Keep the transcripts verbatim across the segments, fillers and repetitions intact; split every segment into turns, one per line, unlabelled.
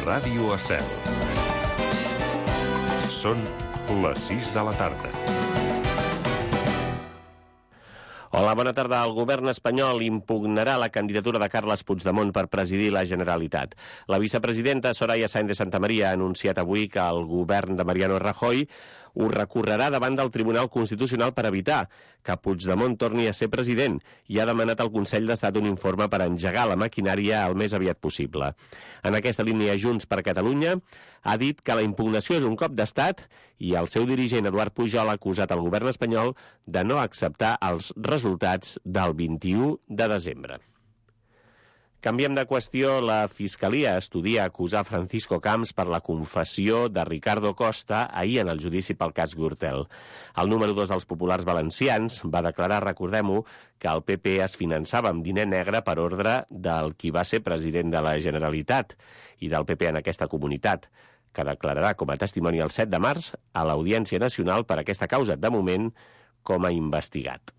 Ràdio Estel. Són les sis de la tarda.
Hola, bona tarda. El govern espanyol impugnarà la candidatura de Carles Puigdemont per presidir la Generalitat. La vicepresidenta Soraya Sáenz de Santamaría ha anunciat avui que el govern de Mariano Rajoy ho recorrerà davant del Tribunal Constitucional per evitar que Puigdemont torni a ser president i ha demanat al Consell d'Estat un informe per engegar la maquinària el més aviat possible. En aquesta línia, Junts per Catalunya ha dit que la impugnació és un cop d'estat i el seu dirigent, Eduard Pujol, ha acusat el govern espanyol de no acceptar els resultats del vint-i-u de desembre. Canviem de qüestió. La Fiscalia estudia acusar Francisco Camps per la confessió de Ricardo Costa ahir en el judici pel cas Gürtel. El número dos dels populars valencians va declarar, recordem-ho, que el P P es finançava amb diner negre per ordre del qui va ser president de la Generalitat i del P P en aquesta comunitat, que declararà com a testimoni el set de març a l'Audiència Nacional per aquesta causa, de moment, com a investigat.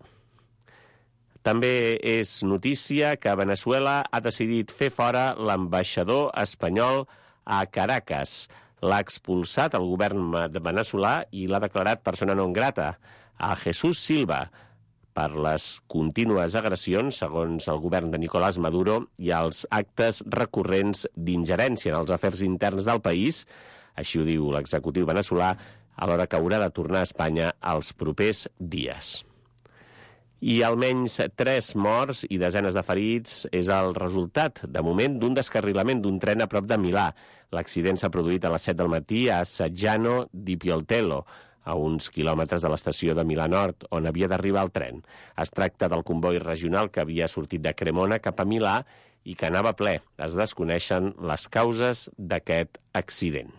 També és notícia que Veneçuela ha decidit fer fora l'ambaixador espanyol a Caracas. L'ha expulsat el govern veneçolà i l'ha declarat persona non grata a Jesús Silva per les contínues agressions, segons el govern de Nicolás Maduro, i els actes recurrents d'ingerència en els afers interns del país, així ho diu l'executiu veneçolà, alhora que haurà de tornar a Espanya els propers dies. I almenys tres morts i desenes de ferits és el resultat, de moment, d'un descarrilament d'un tren a prop de Milà. L'accident s'ha produït a les set del matí a Saggiano di Pioltello, a uns quilòmetres de l'estació de Milà Nord, on havia d'arribar el tren. Es tracta del comboi regional que havia sortit de Cremona cap a Milà i que anava ple. Es desconeixen les causes d'aquest accident.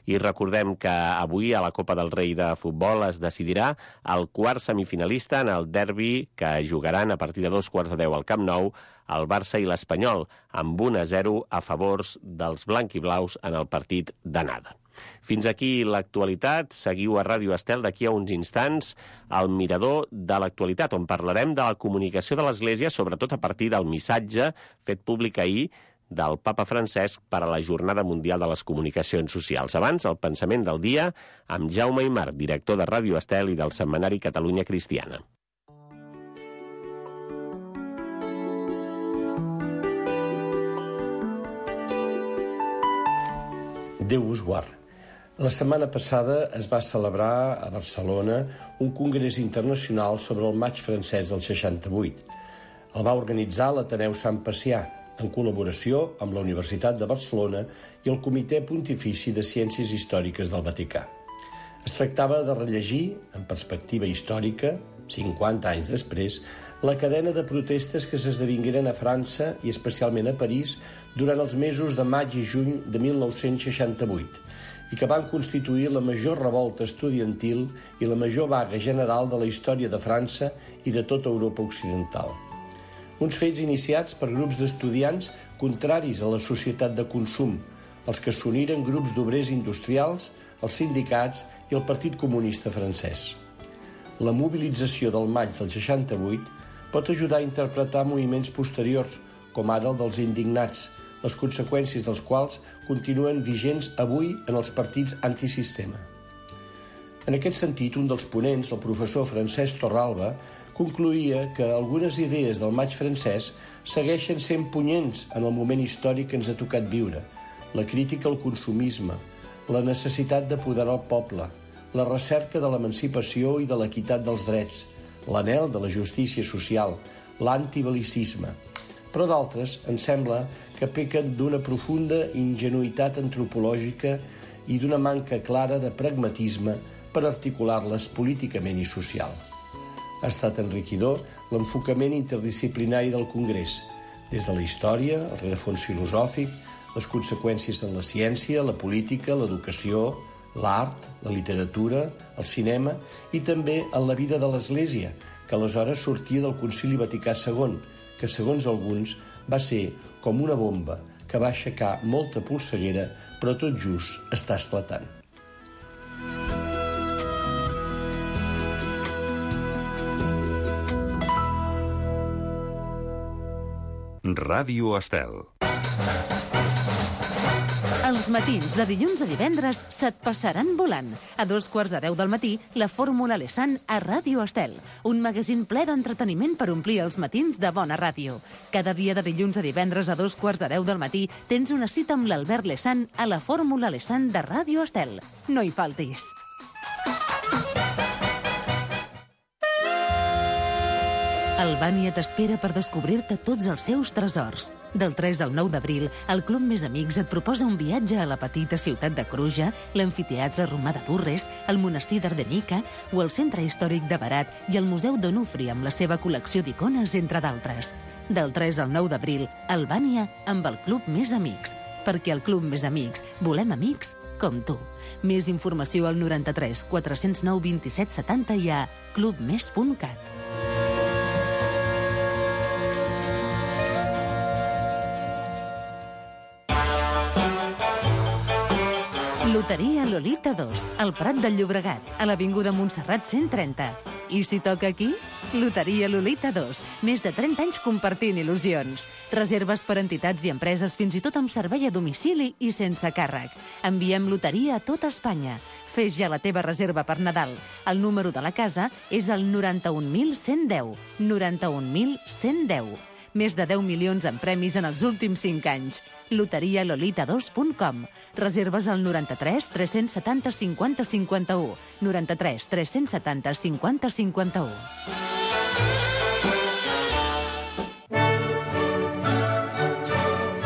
I recordem que avui a la Copa del Rei de futbol es decidirà el quart semifinalista en el derbi que jugaran a partir de dos quarts de deu al Camp Nou el Barça i l'Espanyol, amb un a zero a favors dels blanquiblaus en el partit d'anada. Fins aquí l'actualitat. Seguiu a Ràdio Estel. D'aquí a uns instants al Mirador de l'actualitat, on parlarem de la comunicació de l'Església, sobretot a partir del missatge fet públic ahir del papa Francesc per a la Jornada Mundial de les Comunicacions Socials. Abans, el pensament del dia amb Jaume Aymar, director de Ràdio Estel i del setmanari Catalunya Cristiana.
Déu us guard. La setmana passada es va celebrar a Barcelona un congrés internacional sobre el maig francès del seixanta-vuit. El va organitzar l'Ateneu Sant Pacià, en col·laboració amb la Universitat de Barcelona i el Comitè Pontifici de Ciències Històriques del Vaticà. Es tractava de rellegir, en perspectiva històrica, cinquanta anys després, la cadena de protestes que s'esdevingueren a França i especialment a París durant els mesos de maig i juny de mil nou-cents seixanta-vuit i que van constituir la major revolta estudiantil i la major vaga general de la història de França i de tota Europa occidental. Uns fets iniciats per grups d'estudiants contraris a la societat de consum, els que s'uniren grups d'obrers industrials, els sindicats i el Partit Comunista francès. La mobilització del maig del seixanta-vuit pot ajudar a interpretar moviments posteriors, com ara el dels indignats, les conseqüències dels quals continuen vigents avui en els partits antisistema. En aquest sentit, un dels ponents, el professor Francesc Torralba, concloïa que algunes idees del maig francès segueixen sent punyents en el moment històric que ens ha tocat viure: la crítica al consumisme, la necessitat d'apoderar el poble, la recerca de l'emancipació i de l'equitat dels drets, l'anhel de la justícia social, l'antibel·licisme. Però d'altres, em sembla, que pequen d'una profunda ingenuïtat antropològica i d'una manca clara de pragmatisme per articular-les políticament i social. Ha estat enriquidor l'enfocament interdisciplinari del Congrés, des de la història, el rerefons filosòfic, les conseqüències en la ciència, la política, l'educació, l'art, la literatura, el cinema i també en la vida de l'Església, que aleshores sortia del Concili Vaticà segon, que segons alguns va ser com una bomba que va aixecar molta polseguera, però tot just està esclatant.
Ràdio Estel.
Els matins de dilluns a divendres se't passaran volant. A dos quarts de deu del matí, la Fórmula Lesan a Ràdio Estel. Un magazín ple d'entreteniment per omplir els matins de bona ràdio. Cada dia de dilluns a divendres a dos quarts de deu del matí tens una cita amb l'Albert Lesan a la Fórmula Lesan de Ràdio Estel. No hi faltis. Albània t'espera per descobrir-te tots els seus tresors. Del tres al nou d'abril, el Club Més Amics et proposa un viatge a la petita ciutat de Cruja, l'amfiteatre romà de Durres, el monestir d'Ardenica o el centre històric de Berat i el Museu d'Onufri amb la seva col·lecció d'icones, entre d'altres. Del tres al nou d'abril, Albània amb el Club Més Amics. Perquè al Club Més Amics volem amics com tu. Més informació al noranta-tres quatre-cents nou vint-i-set setanta i a clubmes punt cat. Loteria Lolita dos, al Prat del Llobregat, a l'Avinguda Montserrat cent trenta. I si toca aquí? Loteria Lolita dos, més de trenta anys compartint il·lusions. Reserves per entitats i empreses, fins i tot amb servei a domicili i sense càrrec. Enviem loteria a tota Espanya. Fes ja la teva reserva per Nadal. El número de la casa és el noranta-un mil cent deu. noranta-un mil cent deu. Més de deu milions en premis en els últims cinc anys. loteria lolita dos punt com. Reserves al noranta-tres tres-cents setanta cinquanta cinquanta-u. noranta-tres tres-cents setanta cinquanta cinquanta-u.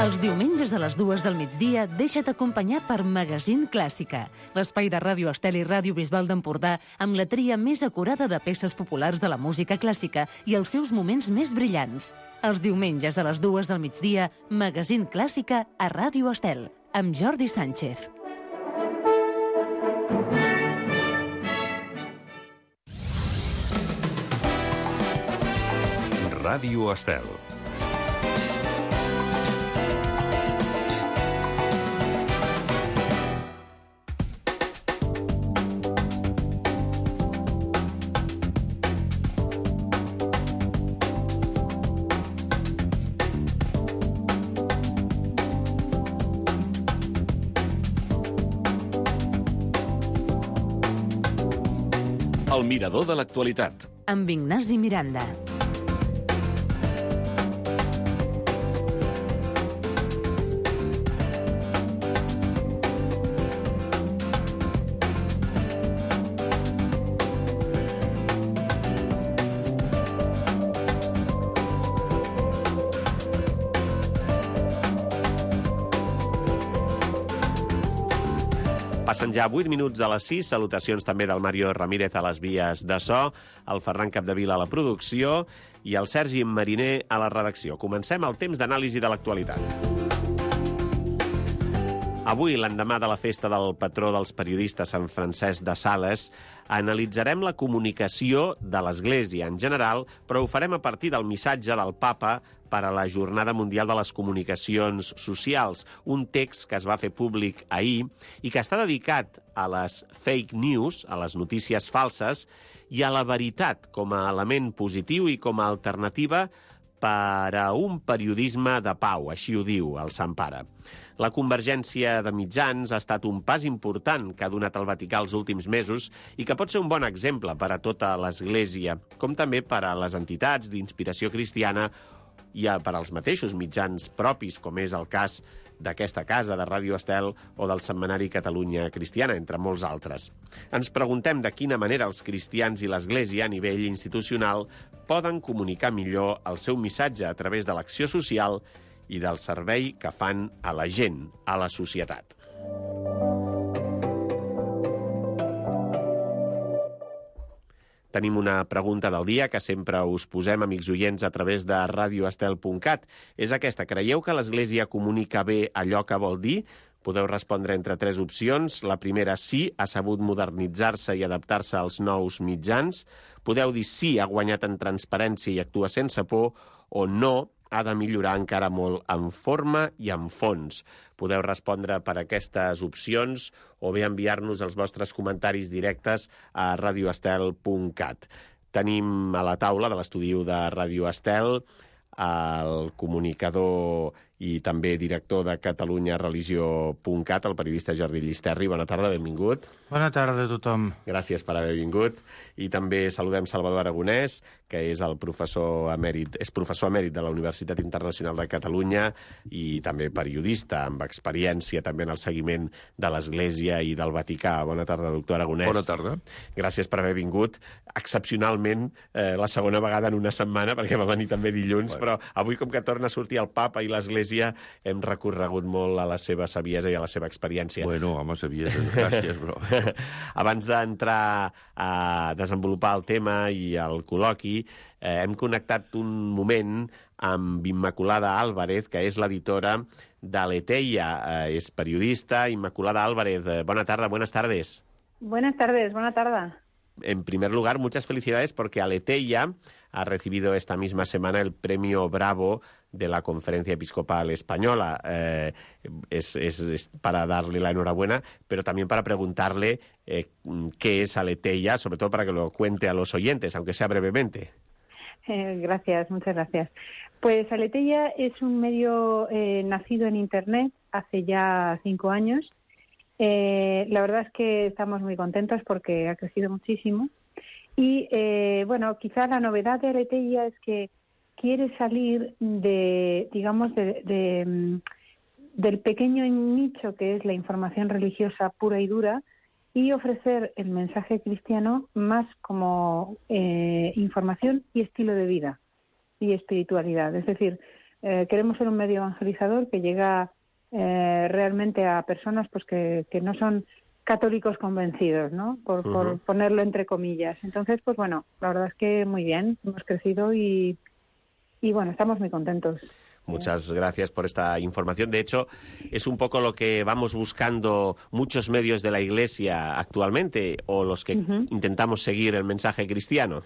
Els diumenges a les dues del migdia deixa't acompanyar per Magazín Clàssica, l'espai de Ràdio Estel i Ràdio Bisbal d'Empordà amb la tria més acurada de peces populars de la música clàssica i els seus moments més brillants. Els diumenges a les dues del migdia, Magazín Clàssica a Ràdio Estel, amb Jordi Sánchez.
Ràdio Estel. El mirador de l'actualitat.
Amb Ignasi Miranda.
Passen ja vuit minuts de les sis. Salutacions també del Mario Ramírez a les vies de so, el Ferran Capdevila a la producció i el Sergi Mariner a la redacció. Comencem el temps d'anàlisi de l'actualitat. Avui, l'endemà de la festa del patró dels periodistes, Sant Francesc de Sales, analitzarem la comunicació de l'Església en general, però ho farem a partir del missatge del Papa per a la Jornada Mundial de les Comunicacions Socials, un text que es va fer públic ahir i que està dedicat a les fake news, a les notícies falses, i a la veritat com a element positiu i com a alternativa per a un periodisme de pau, així ho diu el Sant Pare. La convergència de mitjans ha estat un pas important que ha donat el Vaticà els últims mesos i que pot ser un bon exemple per a tota l'Església, com també per a les entitats d'inspiració cristiana i per als mateixos mitjans propis, com és el cas d'aquesta casa de Ràdio Estel o del setmanari Catalunya Cristiana, entre molts altres. Ens preguntem de quina manera els cristians i l'Església a nivell institucional poden comunicar millor el seu missatge a través de l'acció social i del servei que fan a la gent, a la societat. Tenim una pregunta del dia que sempre us posem, amics oients, a través de radio estel punt cat. És aquesta: creieu que l'Església comunica bé allò que vol dir? Podeu respondre entre tres opcions. La primera, sí, ha sabut modernitzar-se i adaptar-se als nous mitjans. Podeu dir sí, ha guanyat en transparència i actua sense por, o no, ha de millorar encara molt en forma i en fons. Podeu respondre per aquestes opcions o bé enviar-nos els vostres comentaris directes a radio estel punt cat. Tenim a la taula de l'estudi de Ràdio Estel el comunicador i també director de catalunya religió punt cat, el periodista Jordi Llisterri. Bona tarda, benvingut.
Bona tarda a tothom.
Gràcies per haver vingut. I també saludem Salvador Aragonès, que és el professor emèrit, és professor emèrit de la Universitat Internacional de Catalunya i també periodista, amb experiència també en el seguiment de l'Església i del Vaticà. Bona tarda, doctor Aragonès.
Bona tarda.
Gràcies per haver vingut. Excepcionalment, eh, la segona vegada en una setmana, perquè va venir també dilluns, bueno. Però avui, com que torna a sortir el papa i l'Església, hem recorregut molt a la seva saviesa i a la seva experiència.
Bueno, home, saviesa, gràcies, però...
Abans d'entrar a desenvolupar el tema i el col·loqui, eh, hem connectat un moment amb Immaculada Álvarez, que és l'editora de Aleteia. Eh, és periodista. Immaculada Álvarez, eh, bona tarda, buenas tardes.
Buenas tardes, buena tarde.
En primer lugar, muchas felicidades porque Aleteia ha recibido esta misma semana el premio Bravo de la Conferencia Episcopal Española. Eh, es, es, es para darle la enhorabuena, pero también para preguntarle eh, qué es Aleteia, sobre todo para que lo cuente a los oyentes, aunque sea brevemente.
Eh, gracias, muchas gracias. Pues Aleteia es un medio eh, nacido en Internet hace ya cinco años. Eh, la verdad es que estamos muy contentos porque ha crecido muchísimo. Y, eh, bueno, quizá la novedad de Aleteia es que quiere salir de, digamos, de, de, del pequeño nicho que es la información religiosa pura y dura y ofrecer el mensaje cristiano más como eh, información y estilo de vida y espiritualidad. Es decir, eh, queremos ser un medio evangelizador que llega eh, realmente a personas pues que, que no son católicos convencidos, ¿no? Por, uh-huh. por ponerlo entre comillas. Entonces, pues bueno, la verdad es que muy bien, hemos crecido y, y bueno, estamos muy contentos.
Muchas gracias por esta información. De hecho, es un poco lo que vamos buscando muchos medios de la Iglesia actualmente, o los que uh-huh. intentamos seguir el mensaje cristiano.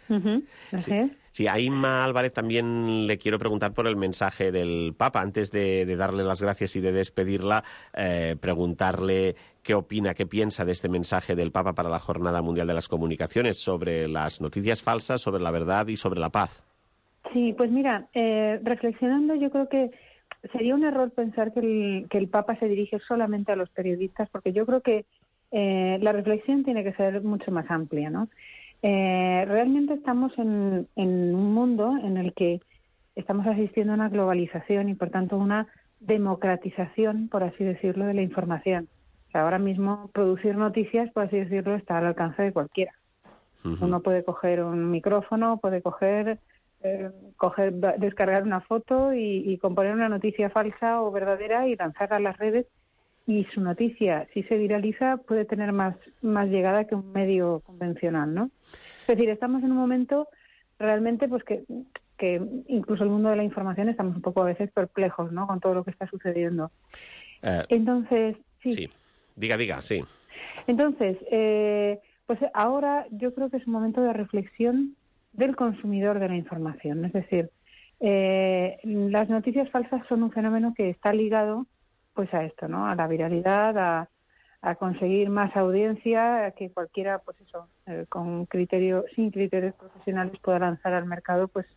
Uh-huh. Así es.
Sí. Sí, a Inma Álvarez también le quiero preguntar por el mensaje del Papa. Antes de, de darle las gracias y de despedirla, eh, preguntarle qué opina, qué piensa de este mensaje del Papa para la Jornada Mundial de las Comunicaciones sobre las noticias falsas, sobre la verdad y sobre la paz.
Sí, pues mira, eh, reflexionando, yo creo que sería un error pensar que el, que el Papa se dirige solamente a los periodistas, porque yo creo que eh, la reflexión tiene que ser mucho más amplia, ¿no? Eh, realmente estamos en, en un mundo en el que estamos asistiendo a una globalización y, por tanto, una democratización, por así decirlo, de la información. O sea, ahora mismo producir noticias, por así decirlo, está al alcance de cualquiera. Uh-huh. Uno puede coger un micrófono, puede coger, eh, coger descargar una foto y, y componer una noticia falsa o verdadera y lanzarla a las redes. Y su noticia, si se viraliza, puede tener más, más llegada que un medio convencional, ¿no? Es decir, estamos en un momento realmente pues que, que incluso el mundo de la información estamos un poco a veces perplejos, ¿no? Con todo lo que está sucediendo. Uh, Entonces, sí.
Sí, diga, diga, sí.
Entonces, eh, pues ahora yo creo que es un momento de reflexión del consumidor de la información. Es decir, eh, las noticias falsas son un fenómeno que está ligado pues a esto, ¿no? A la viralidad, a, a conseguir más audiencia, a que cualquiera, pues eso, eh, con criterio, sin criterios profesionales pueda lanzar al mercado, pues,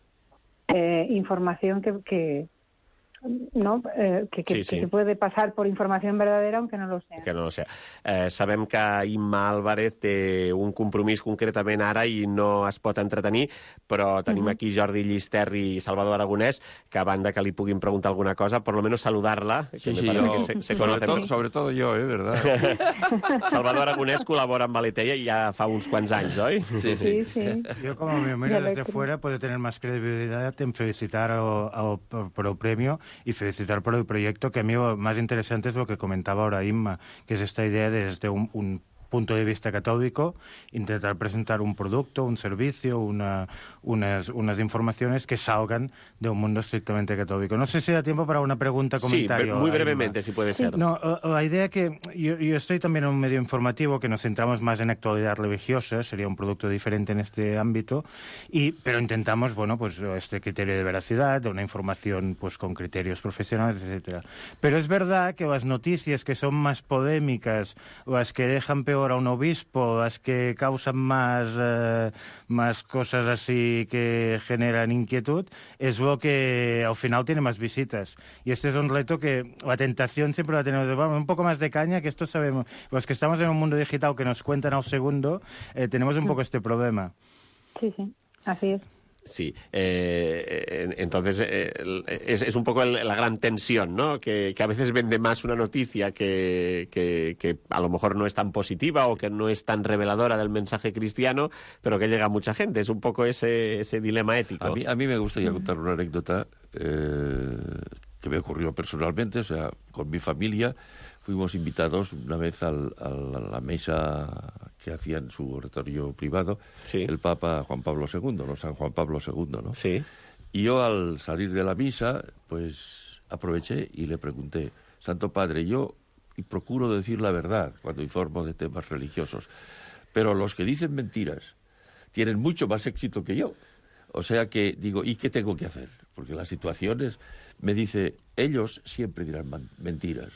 eh, información que, que no eh, que, que,
sí, sí.
que se puede passar por informació verdadera aunque no lo sea.
Que no lo sea. Eh, sabem que Imma Álvarez té un compromís concretament ara i no es pot entretenir, però tenim uh-huh. aquí Jordi Llisterri i Salvador Aragonès, que a banda que li puguin preguntar alguna cosa, por lo menos saludarla.
Sí, sí, yo, que se, se sobre, todo, sobre todo yo, ¿eh? ¿Verdad?
Salvador Aragonès col·labora amb Aleteia ja fa uns quants anys, oi?
Sí, sí. sí, sí.
Yo, como me miro desde fuera, puedo tener más credibilidad en felicitar a, a, por el premio y felicitar por el proyecto, que a mí lo más interesante es lo que comentaba ahora Inma, que es esta idea desde un, un punto de vista católico, intentar presentar un producto, un servicio, una, unas, unas informaciones que salgan de un mundo estrictamente católico. No sé si da tiempo para una pregunta, comentario.
Sí, muy brevemente, si puede ser.
No, la idea que yo, yo estoy también en un medio informativo que nos centramos más en actualidad religiosa, sería un producto diferente en este ámbito, y pero intentamos, bueno, pues este criterio de veracidad, de una información pues con criterios profesionales, etcétera. Pero es verdad que las noticias que son más polémicas, las que dejan peor peor a un obispo, es que causan más, eh, más cosas así que generan inquietud, es lo que al final tiene más visitas. Y este es un reto que la tentación siempre va a tener, vamos, un poco más de caña, que esto sabemos. Los que estamos en un mundo digital que nos cuentan al segundo, eh, tenemos un poco este problema.
Sí, sí, así es.
Sí, eh, entonces eh, es, es un poco el, la gran tensión, ¿no? Que, que a veces vende más una noticia que, que, que a lo mejor no es tan positiva o que no es tan reveladora del mensaje cristiano, pero que llega a mucha gente. Es un poco ese, ese dilema ético.
A mí, a mí me gustaría contar una anécdota eh, que me ocurrió personalmente, o sea, con mi familia. Fuimos invitados una vez al, al, a la mesa que hacía en su oratorio privado sí. el Papa Juan Pablo segundo, no San Juan Pablo segundo, ¿no?
Sí.
Y yo al salir de la misa, pues aproveché y le pregunté, Santo Padre, yo y procuro decir la verdad cuando informo de temas religiosos, pero los que dicen mentiras tienen mucho más éxito que yo. O sea que digo, ¿y qué tengo que hacer? Porque las situaciones, me dice, ellos siempre dirán mentiras.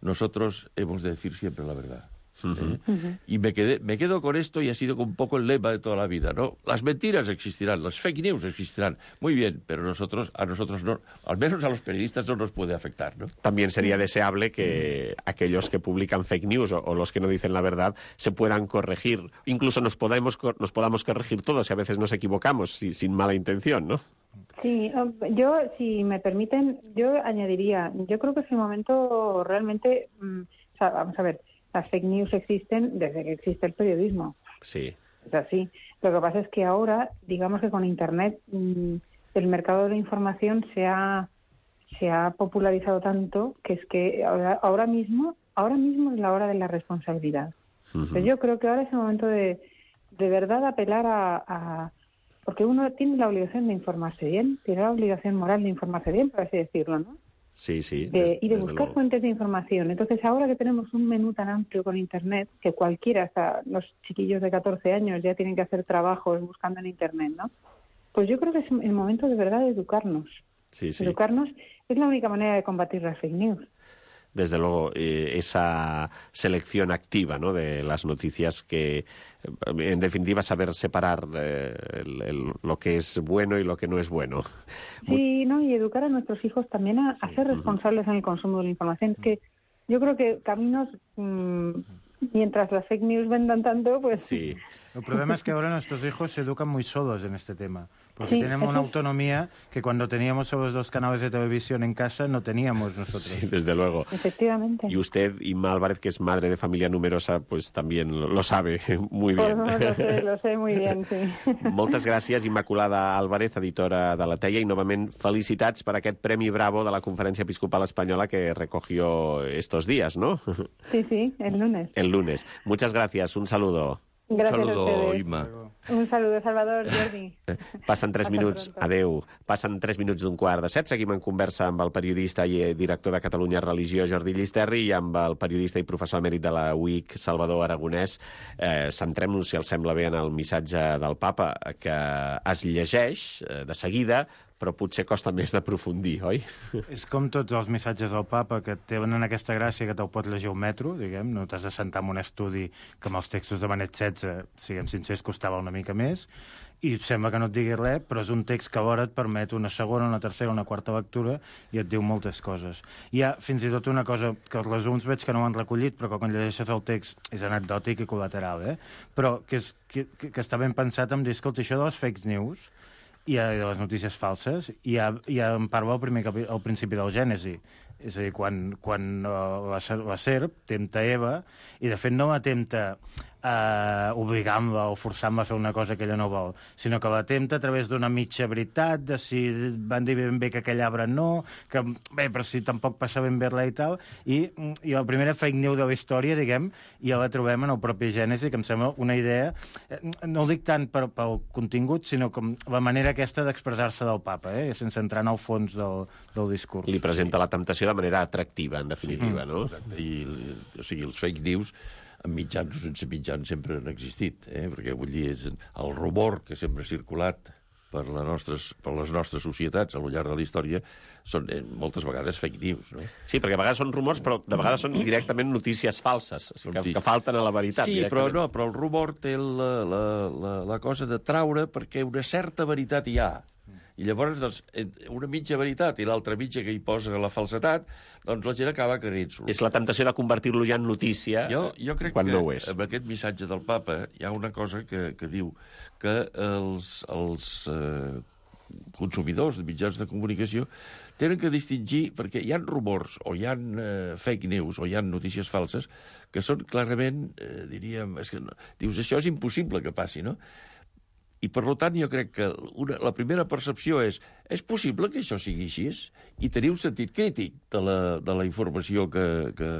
Nosotros hemos de decir siempre la verdad. Uh-huh. ¿eh? Uh-huh. Y me, quedé, me quedo con esto y ha sido un poco el lema de toda la vida, ¿no? Las mentiras existirán, las fake news existirán. Muy bien, pero nosotros, a nosotros no, al menos a los periodistas no nos puede afectar, ¿no?
También sería deseable que aquellos que publican fake news o, o los que no dicen la verdad se puedan corregir. Incluso nos podamos, nos podamos corregir todos y a veces nos equivocamos si, sin mala intención, ¿no?
Sí, yo, si me permiten, yo añadiría, yo creo que es el momento realmente, mmm, o sea, vamos a ver, las fake news existen desde que existe el periodismo.
Sí.
Es así. Lo que pasa es que ahora, digamos que con Internet, mmm, el mercado de la información se ha, se ha popularizado tanto que es que ahora, ahora mismo, ahora mismo es la hora de la responsabilidad. Uh-huh. Entonces, yo creo que ahora es el momento de, de verdad apelar a, a porque uno tiene la obligación de informarse bien, tiene la obligación moral de informarse bien, por así decirlo, ¿no?
Sí, sí.
De,
des,
y de buscar
luego.
fuentes de información. Entonces, ahora que tenemos un menú tan amplio con Internet, que cualquiera, hasta los chiquillos de catorce años, ya tienen que hacer trabajos buscando en Internet, ¿no? Pues yo creo que es el momento de verdad de educarnos.
Sí, sí.
Educarnos es la única manera de combatir las fake news.
Desde luego, eh, esa selección activa, ¿no?, de las noticias que, en definitiva, saber separar eh, el, el, lo que es bueno y lo que no es bueno.
Sí, no, y educar a nuestros hijos también a, a ser responsables uh-huh. en el consumo de la información. Es que yo creo que caminos, mmm, mientras las fake news vendan tanto, pues...
Sí.
El problema es que ahora nuestros hijos se educan muy solos en este tema, porque
sí,
tenemos
eso...
una autonomía que cuando teníamos solo los dos canales de televisión en casa no teníamos nosotros.
Sí, desde luego.
Efectivamente.
Y usted, Inma Álvarez, que es madre de familia numerosa, pues también lo, lo sabe muy bien.
Pues lo sé, lo sé muy bien, sí.
Moltes gràcies, Immaculada Álvarez, editora de La Teia, i novament felicitats per aquest Premi Bravo de la Conferència Episcopal Espanyola que recogió estos días, ¿no?
Sí, sí, el lunes.
El lunes. Muchas gracias, un saludo.
Gracias
un saludo,
a ustedes.
Imma.
Un saludo, Salvador, Jordi.
Passen tres
Hasta
minuts,
pronto.
adeu, passen tres minuts d'un quart de set. Seguim en conversa amb el periodista i director de Catalunya Religió, Jordi Llisterri, i amb el periodista i professor emèrit de la U I C, Salvador Aragonès. Eh, Centrem-nos, si els sembla bé, en el missatge del papa, que es llegeix eh, de seguida, però potser costa més d'aprofundir, oi?
És com tots els missatges del papa, que tenen aquesta gràcia que te'l pot llegir un metro, diguem, no t'has de sentar en un estudi que amb els textos de Benet setze, siguem sincers, costava una mica més, i sembla que no et digui res, però és un text que alhora et permet una segona, una tercera, una quarta lectura i et diu moltes coses. Hi ha fins i tot una cosa que els resums veig que no ho han recollit, però que quan llegeixes el text és anecdòtic i col·lateral, eh? Però que, és, que, que està ben pensat en dir, escolta, això de les fake news i de les notícies falses, i ja, ja en parla al, primer capi, al principi del Gènesi. És a dir, quan, quan uh, la, la serp tempta Eva, i de fet no la tempta uh, obligant-la o forçant-la a fer una cosa que ella no vol, sinó que la tempta a través d'una mitja veritat, de si van dir ben bé que aquell arbre no, que bé, però si tampoc passa ben bé res i tal, i, i la primera fake news de la història, diguem, ja la trobem en el propi Gènesi, que em sembla una idea, no ho dic tant per, pel contingut, sinó com la manera aquesta d'expressar-se del papa, eh? Sense entrar en el fons del, del discurs.
Li presenta la temptació de manera atractiva, en definitiva,
sí,
no?
Exacte. I, o sigui, els fake news, amb mitjans o sense mitjans, sempre han existit, eh? Perquè, vull dir, és el rumor que sempre ha circulat per, la nostres, per les nostres societats a lo llarg de la història són eh, moltes vegades fake news, no?
Sí, perquè a vegades són rumors, però de vegades són directament notícies falses, o sigui, que, que falten a la veritat.
Sí, però no, però el rumor té la, la, la, la cosa de traure perquè una certa veritat hi ha. I llavors, doncs, una mitja veritat i l'altra mitja que hi posa la falsetat, doncs la gent acaba creient-s'ho.
És la temptació de convertir-lo ja en notícia
jo, jo crec
quan
que
no ho és.
Amb aquest missatge del papa hi ha una cosa que, que diu que els, els eh, consumidors de mitjans de comunicació tenen que distingir, perquè hi ha rumors o hi ha eh, fake news o hi ha notícies falses que són clarament, eh, diríem, és que no, dius, això és impossible que passi, no? I, per tant, jo crec que una, la primera percepció és és possible que això sigui així? I tenir un sentit crític de la, de la informació que, que,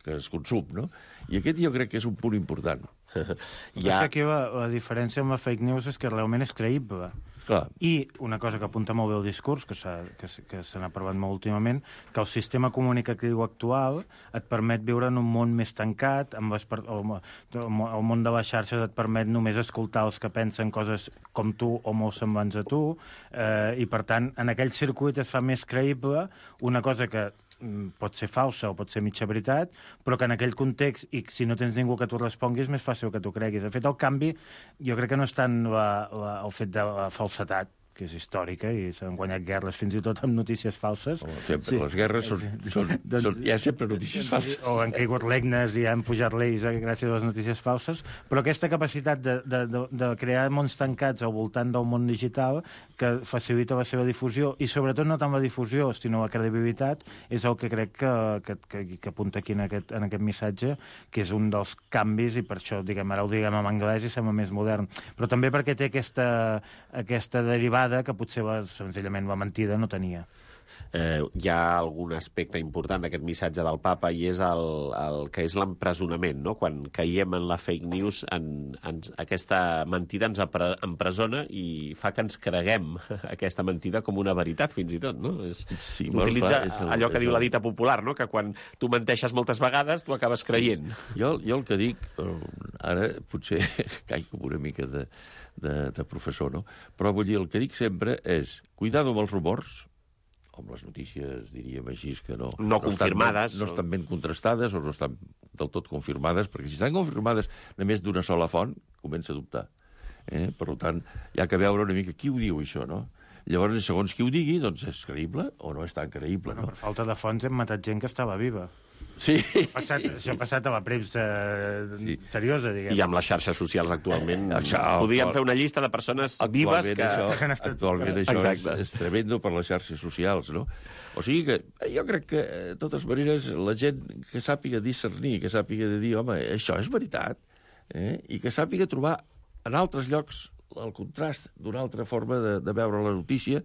que es consum, no? I aquest jo crec que és un punt important.
Ja... Aquí la, la diferència amb la fake news és que realment és creïble.
Clar.
I una cosa que apunta molt bé el discurs, que s'ha que, que se n'ha parlat molt últimament, que el sistema comunicatiu actual et permet viure en un món més tancat, amb les, el, el món de les xarxes et permet només escoltar els que pensen coses com tu o molt semblants a tu, eh, i per tant, en aquell circuit es fa més creïble una cosa que pot ser falsa o pot ser mitja veritat, però que en aquell context, i si no tens ningú que t'ho respongui, és més fàcil que t'ho creguis. De fet, el canvi, jo crec que no és tant la, la, el fet de la falsetat, que és històrica, i s'han guanyat guerres fins i tot amb notícies falses.
Oh, sempre, sí. Les guerres són, són, doncs, són... Hi ha sempre notícies falses.
O han caigut regnes i han pujat lleis gràcies a les notícies falses, però aquesta capacitat de, de, de, de crear mons tancats al voltant del món digital que facilita la seva difusió, i sobretot no tant la difusió, sinó la credibilitat, és el que crec que, que, que, que apunta aquí en aquest, en aquest missatge, que és un dels canvis, i per això, diguem, ara ho diguem en anglès i sembla més modern. Però també perquè té aquesta, aquesta derivada que potser la, senzillament la mentida no tenia.
Eh, hi ha algun aspecte important d'aquest missatge del papa, i és el, el que és l'empresonament, no? Quan caiem en la fake news, en, en, aquesta mentida ens empresona i fa que ens creguem aquesta mentida com una veritat, fins i tot, no? És,
sí,
utilitza
clar, el,
allò que diu
el...
la dita popular, no? Que quan tu menteixes moltes vegades, tu acabes creient.
Jo, jo el que dic, ara potser caic com una mica de, de, de professor, no? Però vull dir, el que dic sempre és cuidado amb els rumors, amb les notícies, diríem així, que no...
No confirmades.
No estan, ben, no estan ben contrastades o no estan del tot confirmades, perquè si estan confirmades només d'una sola font, comença a dubtar. Eh? Per tant, hi ha que veure una mica qui ho diu, això, no? Llavors, segons qui ho digui, doncs és creïble o no és tan creïble,
bueno,
no?
Per falta de fonts hem matat gent que estava viva.
Sí.
Passat, sí, això ha passat a la premsa sí. seriosa, diguem.
I amb les xarxes socials actualment
això,
podríem fer una llista de persones vives que...
Això, actualment això és, és tremendo per les xarxes socials, no? O sigui que jo crec que, de totes maneres, la gent que sàpiga discernir, que sàpiga de dir, home, això és veritat, eh? I que sàpiga trobar en altres llocs el contrast d'una altra forma de, de veure la notícia,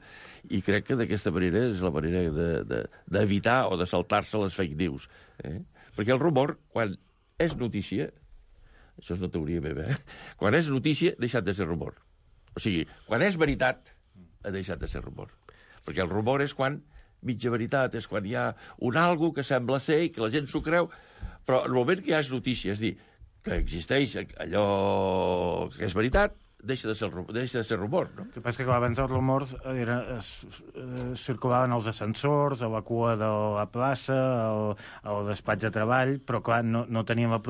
i crec que d'aquesta manera és la manera d'evitar de, de, o de saltar-se les fake news. Eh? Perquè el rumor, quan és notícia, això és una teoria meva, eh? Quan és notícia, ha deixat de ser rumor. O sigui, quan és veritat, ha deixat de ser rumor. Perquè el rumor és quan mitja veritat, és quan hi ha un algo que sembla ser i que la gent s'ho creu, però en el moment que ja és notícia, és dir, que existeix allò que és veritat, deixa de ser, deixa de ser rumor, no?
El que passa que abans els rumors era, es, es, circulaven als ascensors, a la cua de la plaça, al, al despatx de treball, però clar, no, no tenien la,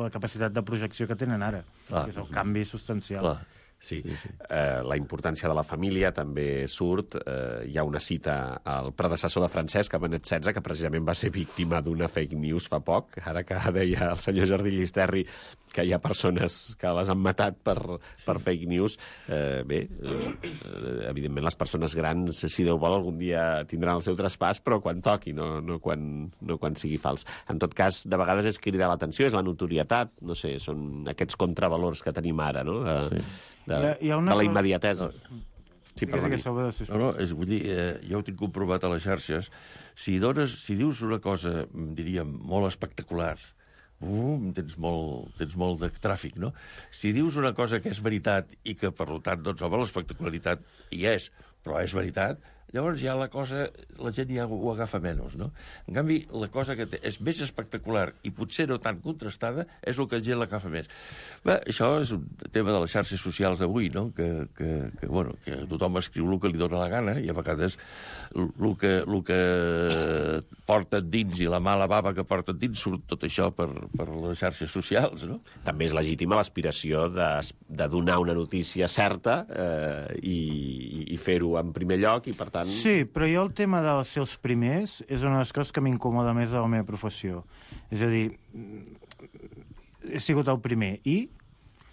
la capacitat de projecció que tenen ara, clar, que és el canvi substancial.
Clar.
Sí, sí, sí. Eh, la importància de la família també surt. Eh, hi ha una cita al predecessor de Francesc, a Benet setze, que precisament va ser víctima d'una fake news fa poc. Ara que deia el senyor Jordi Llisterri que hi ha persones que les han matat per, sí. per fake news. Eh, bé, eh, evidentment les persones grans, si Déu vol, algun dia tindran el seu traspàs, però quan toqui, no, no, quan, no quan sigui fals. En tot cas, de vegades és cridar l'atenció, és la notorietat, no sé, són aquests contravalors que tenim ara, no?, de, sí. de,
hi ha, hi ha una...
de la immediatesa.
No.
Sí, perdoni. No, no, és, vull dir, eh, jo ho tinc comprovat a les xarxes. Si, dones, si dius una cosa, diríem, molt espectacular, uh, tens, molt, tens molt de tràfic, no? Si dius una cosa que és veritat i que, per tant, doncs, home, l'espectacularitat hi és, però és veritat, llavors ja la cosa, la gent ja ho agafa menys, no? En canvi, la cosa que té, és més espectacular i potser no tan contrastada és el que la gent l'agafa més. Bé, això és un tema de les xarxes socials d'avui, no? Que, que, que, bueno, que tothom escriu el que li dóna la gana i a vegades el que, el que porta dins i la mala bava que porta dins surt tot això per, per les xarxes socials, no?
També és legítima l'aspiració de, de donar una notícia certa eh, i, i fer-ho en primer lloc i, per tant...
Sí, però jo el tema dels seus primers és una de les coses que m'incomoda més de la meva professió. És a dir, he sigut el primer i...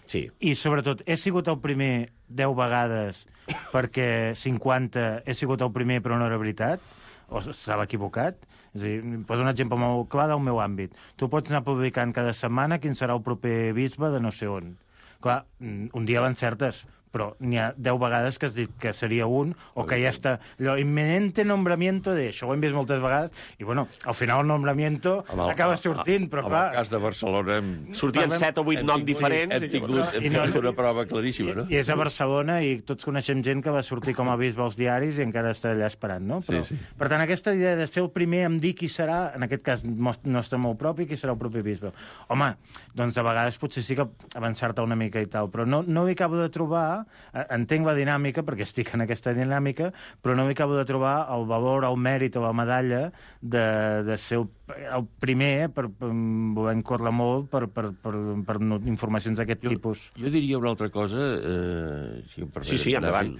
Sí.
I, sobretot, he sigut el primer deu vegades perquè cinquanta he sigut el primer però no era veritat, o estava equivocat. És a dir, poso un exemple molt clar del meu àmbit. Tu pots anar publicant cada setmana quin serà el proper bisbe de no sé on. Clar, un dia l'encertes, però n'hi ha deu vegades que has dit que seria un, o que ja està... Allò, inminente nombramiento de... Això ho hem vist moltes vegades, i, bueno, al final el nombramiento el, acaba sortint, però, clar...
En el cas de Barcelona... Hem...
Sortien
parlem...
set o vuit noms diferents...
Hem tingut, hem tingut no, una prova claríssima, no?
I, I és a Barcelona, i tots coneixem gent que va sortir com a bisbe als diaris i encara està allà esperant, no? Però,
sí, sí.
Per tant, aquesta idea de ser el primer em dir qui serà, en aquest cas nostre molt propi, qui serà el propi bisbe. Home, doncs de vegades potser sí que avançar-te una mica i tal, però no, no hi acabo de trobar... Entenc la dinàmica, perquè estic en aquesta dinàmica, però no m'hi acabo de trobar el valor, el mèrit o la medalla de, de ser el, el primer per, per voler córrer molt per, per, per, per informacions d'aquest tipus.
Jo diria una altra cosa, eh, si em permeten,
sí, sí, endavant.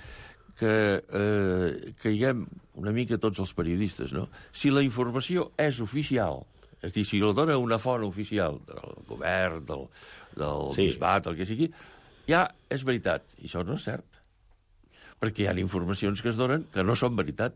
que eh, caiguem una mica tots els periodistes, no? Si la informació és oficial, és a dir, si la dona una font oficial del govern, del, del
sí.
bisbat, el que sigui, ja és veritat, i això no és cert. Perquè hi ha informacions que es donen que no són veritat.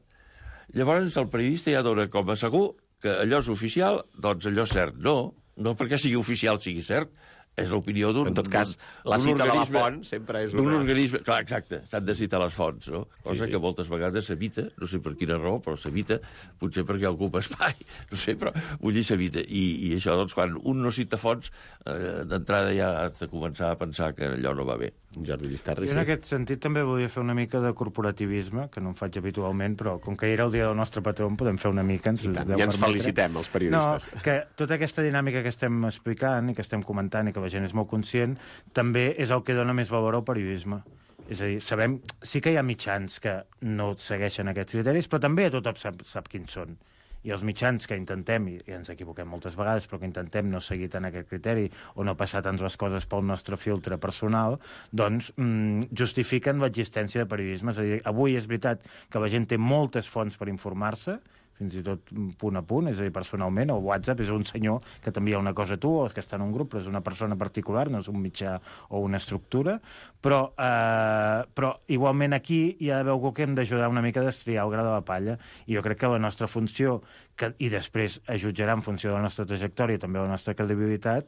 Llavors el periodista ja dona com a segur que allò és oficial, doncs allò és cert. No, no perquè sigui oficial sigui cert, és l'opinió d'un...
En tot cas, la cita de la font sempre és una...
D'un organisme... Clar, exacte, s'han de citar les fonts, no? Cosa
sí, sí.
que moltes vegades s'evita, no sé per quina raó, però s'evita, potser perquè ocupa espai, no sé, però vull dir s'evita. I, I això, doncs, quan un no cita fonts, eh, d'entrada ja has de començar a pensar que allò no va bé.
Jordi Llistarri,
jo en aquest sentit també volia fer una mica de corporativisme, que no em faig habitualment, però com que era el dia del nostre patró en podem fer una mica. Ens
ja ens permetre. Felicitem, els periodistes.
No, que tota aquesta dinàmica que estem explicant i que estem comentant i que la gent és molt conscient, també és el que dona més valor al periodisme. És a dir, sabem, sí que hi ha mitjans que no segueixen aquests criteris, però també tothom sap, sap quins són. I els mitjans que intentem, i ens equivoquem moltes vegades, però que intentem no seguir tant aquest criteri o no passar tant les coses pel nostre filtre personal, doncs mmm, justifiquen l'existència de periodisme. És a dir, avui és veritat que la gent té moltes fonts per informar-se, fins i tot punt a punt, és a dir, personalment, el WhatsApp és un senyor que t'envia una cosa a tu o que està en un grup, però és una persona particular, no és un mitjà o una estructura, però, eh, però igualment aquí hi ha d'haver algú que hem d'ajudar una mica a destriar el gra de la palla, i jo crec que la nostra funció, que, i després es jutjarà en funció de la nostra trajectòria i també de la nostra credibilitat,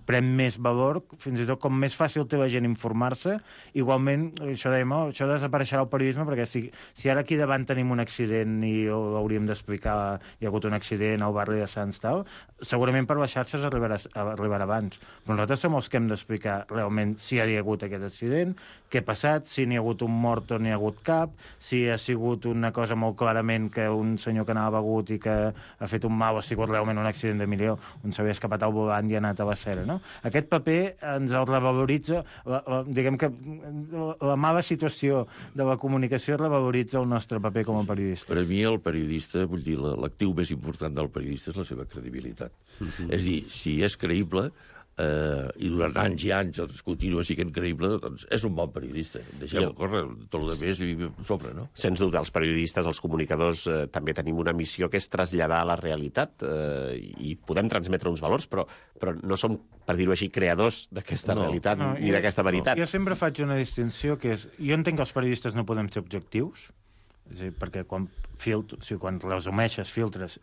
pren més valor, fins i tot com més fàcil té la gent informar-se, igualment, això dèiem, oh, això desapareixerà el periodisme, perquè si, si ara aquí davant tenim un accident i hauríem d'explicar hi ha hagut un accident al barri de Sants, tal, segurament per les xarxes arribarà, arribarà abans. Però nosaltres som els que hem d'explicar realment si hi ha hagut aquest accident, què ha passat, si n'hi ha hagut un mort o n'hi ha hagut cap, si ha sigut una cosa molt clarament que un senyor que anava begut i que ha fet un mal, ha sigut realment un accident de milió, on s'havia escapat al volant i ha anat a la cera, no? Aquest paper ens el revaloritza, la, la, diguem que la, la mala situació de la comunicació revaloritza el nostre paper com a periodista.
Per a mi el periodista, vull dir, l'actiu més important del periodista és la seva credibilitat. Uh-huh. És a dir, si és creïble, eh, i durant anys i anys doncs, continua sent creïble, doncs és un bon periodista. Deixem-ho córrer, tot el més i sobre, no?
Sens dubte, els periodistes, els comunicadors, eh, també tenim una missió que és traslladar a la realitat eh, i podem transmetre uns valors, però, però no som, per dir-ho així, creadors d'aquesta no, realitat no, ni d'aquesta veritat.
No. Jo sempre faig una distinció que és... Jo entenc que els periodistes no podem ser objectius, és a dir, perquè quan, filtro, o sigui, quan resumeixes, filtres...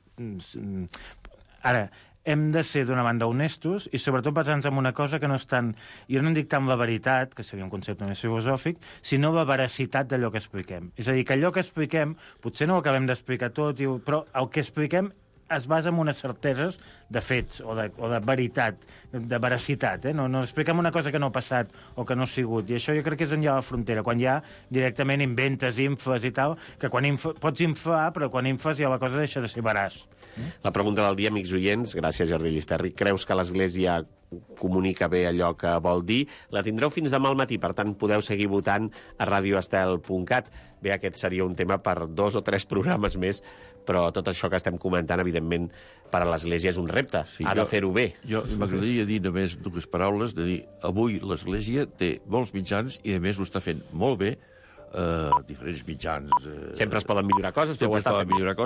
Ara, hem de ser, d'una banda, honestos i, sobretot, basant-nos en una cosa que no és tant... Jo no en dic tant la veritat, que seria un concepte més filosòfic, sinó la veracitat d'allò que expliquem. És a dir, que allò que expliquem, potser no ho acabem d'explicar tot, però el que expliquem es basa en unes certeses de fets o de, o de veritat, de veracitat. Eh? No, no expliquem una cosa que no ha passat o que no ha sigut. I això jo crec que és on hi ha la frontera, quan ja directament inventes infes i tal, que quan infa, pots infar, però quan infes ja la cosa deixa de ser veraç.
La pregunta del dia, amics oients, gràcies Jordi Llisterri. Creus que l'Església comunica bé allò que vol dir? La tindreu fins demà al matí, per tant podeu seguir votant a radio estel punt cat. Bé, aquest seria un tema per dos o tres programes més, però tot això que estem comentant, evidentment, per a l'Església és un repte. Sí, ha jo, de fer-ho bé.
Jo m'agradaria dir només dues paraules, de dir, avui l'Església té molts mitjans i, a més, ho està fent molt bé, eh, diferents mitjans... Eh,
Sempre es poden millorar coses, però ho està fent.
Millorar coses,